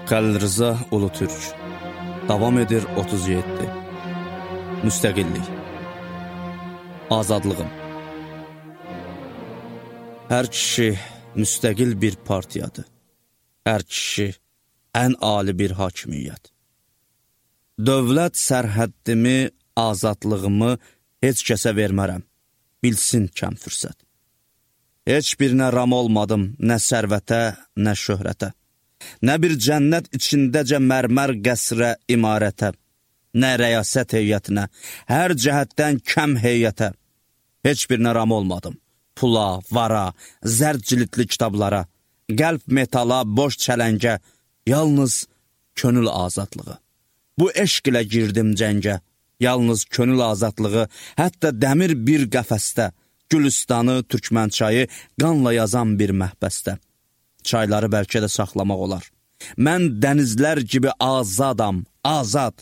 Xəlil Rza Ulutürk. Davam edir 37. Müstəqillik. Azadlığım. Hər kişi müstəqil bir partiyadır. Hər kişi ən ali bir hakimiyyət. Dövlət sərhəddimi, azadlığımı heç kəsə vermərəm. Bilsin kəm fürsət. Heç birinə ram olmadım, nə sərvətə, nə şöhrətə. Nə bir cənnət içindəcə mərmər qəsrə, imarətə. Nə rəyasət heyətinə, hər cəhətdən kəm heyətə. Heç birinə ram olmadım. Pula, vara, zərd cilidli kitablara, qəlb metala, boş çələngə, yalnız könül azadlığı. Bu eşq ilə girdim cəngə, yalnız könül azadlığı, hətta dəmir bir qəfəsdə, Gülüstanı, Türkmənçayı qanla yazan bir məhbəsdə. Çayları bəlkə də saxlamaq olar. Mən dənizlər kimi azadam, azad.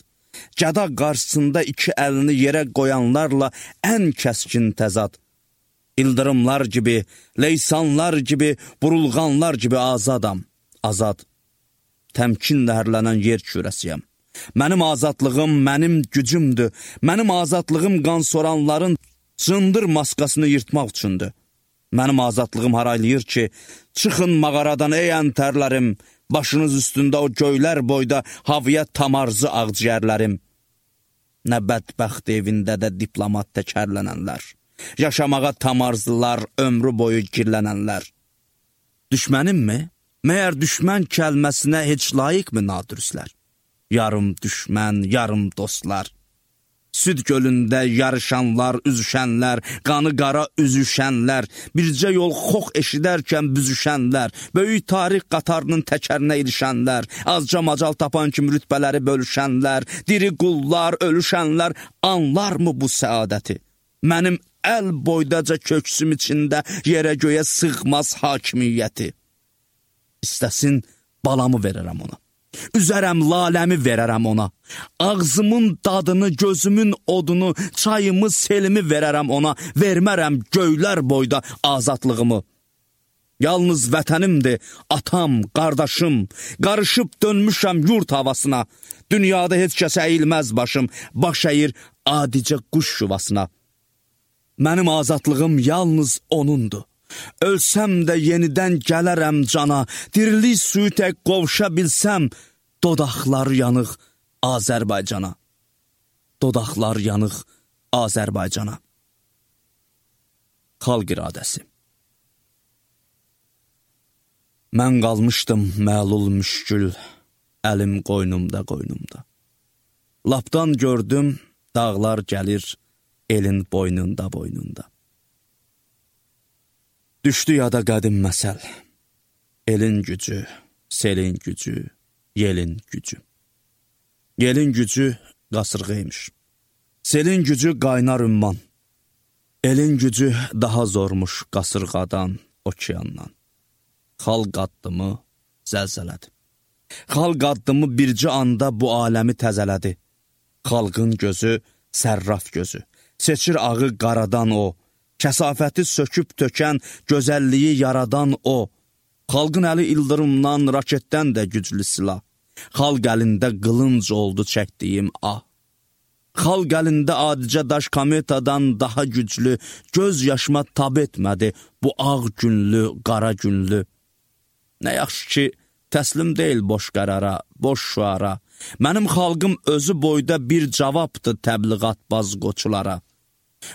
Gəda qarşısında iki əlini yerə qoyanlarla ən kəskin təzad. İldırımlar gibi, leysanlar gibi, burulğanlar gibi azadam, azad. Təmkin nəhərlənən yer kürəsiyəm. Mənim azadlığım, mənim gücümdür. Mənim azadlığım qan soranların cındır maskasını yırtmaq üçündür. Mənim azadlığım haraylayır ki, çıxın mağaradan ey əntərlərim, başınız üstündə o göylər boyda havaya tamarzı ağciyərlərim. Nə bədbəxt evində də diplomat təkərlənənlər, yaşamağa tamarzılar, ömrü boyu girlənənlər. Düşmənim mi? Məyər düşmən kəlməsinə heç layiqmi nadürüslər? Yarım düşmən, yarım dostlar. Süd gölündə yarışanlar, üzüşənlər, qanı qara üzüşənlər, bircə yol xox eşidərkən büzüşənlər, böyük tarix qatarının təkərinə ilişənlər, azca macal tapan kimi rütbələri bölüşənlər, diri qullar, ölüşənlər, anlarmı bu səadəti? Mənim əl boydaca köksüm içində yerə göyə sığmaz hakimiyyəti. İstəsin balamı verərəm ona. Üzərəm laləmi verərəm ona. Ağzımın dadını, gözümün odunu, çayımı, selimi verərəm ona. Vermərəm göylər boyda azadlığımı. Yalnız vətənimdir, atam, qardaşım. Qarışıb dönmüşəm yurt havasına. Dünyada heç kəs əyilməz başım. Baş əyir adicə quş yuvasına. Mənim azadlığım yalnız onundur. Ölsəm də yenidən gələrəm cana, dirilik suyu tək qovuşa bilsəm, dodaqlar yanıq Azərbaycana. Dodaqlar yanıq Azərbaycana. Xalq iradəsi. Mən qalmışdım məlul müşkül, əlim qoynumda qoynumda. Lapdan gördüm, dağlar gəlir, elin boynunda boynunda. Düşdü yada qədim məsəl, elin gücü, selin gücü, yelin gücü. Yelin gücü qasırğıymış, selin gücü qaynar ümman, elin gücü daha zormuş qasırğadan, okeandan. Xalq addımı zəlzələdi. Xalq addımı bircə anda bu aləmi təzələdi. Xalqın gözü sərraf gözü, seçir ağı qaradan o, kəsafəti söküb tökən, gözəlliyi yaradan o. Xalqın əli ildırımdan, raketdən də güclü silah. Xalq əlində qılınc oldu çəkdiyim ah. Xalq əlində adicə daş kometadan daha güclü, göz yaşıma tab etmədi bu ağ günlü, qara günlü. Nə yaxşı ki, təslim deyil boş qərara, boş şüara. Mənim xalqım özü boyda bir cavabdır təbliğatbaz qoçulara.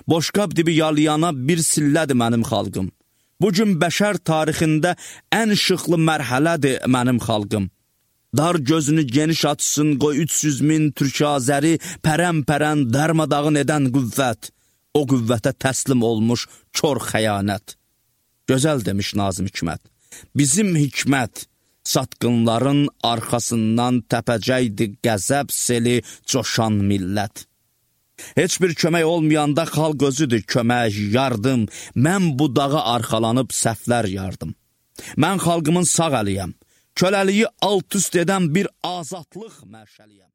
Boşqab dibi yalayana bir sillədir mənim xalqım. Bugün bəşər tarixində ən işıqlı mərhələdir mənim xalqım. Dar gözünü geniş açsın, qoy 300 min Türk-Azəri pərən-pərən darmadağın edən qüvvət. O qüvvətə təslim olmuş kör xəyanət. Gözəl demiş Nazım Hikmət. Bizim hikmət, satqınların arxasından təpəcəkdi qəzəb seli coşan millət. Heç bir kömək olmayanda xalq özüdür kömək, yardım. Mən bu dağa arxalanıb səhvlər yardım. Mən xalqımın sağ əliyəm. Köləliyi alt üst edən bir azadlıq məşəliyəm.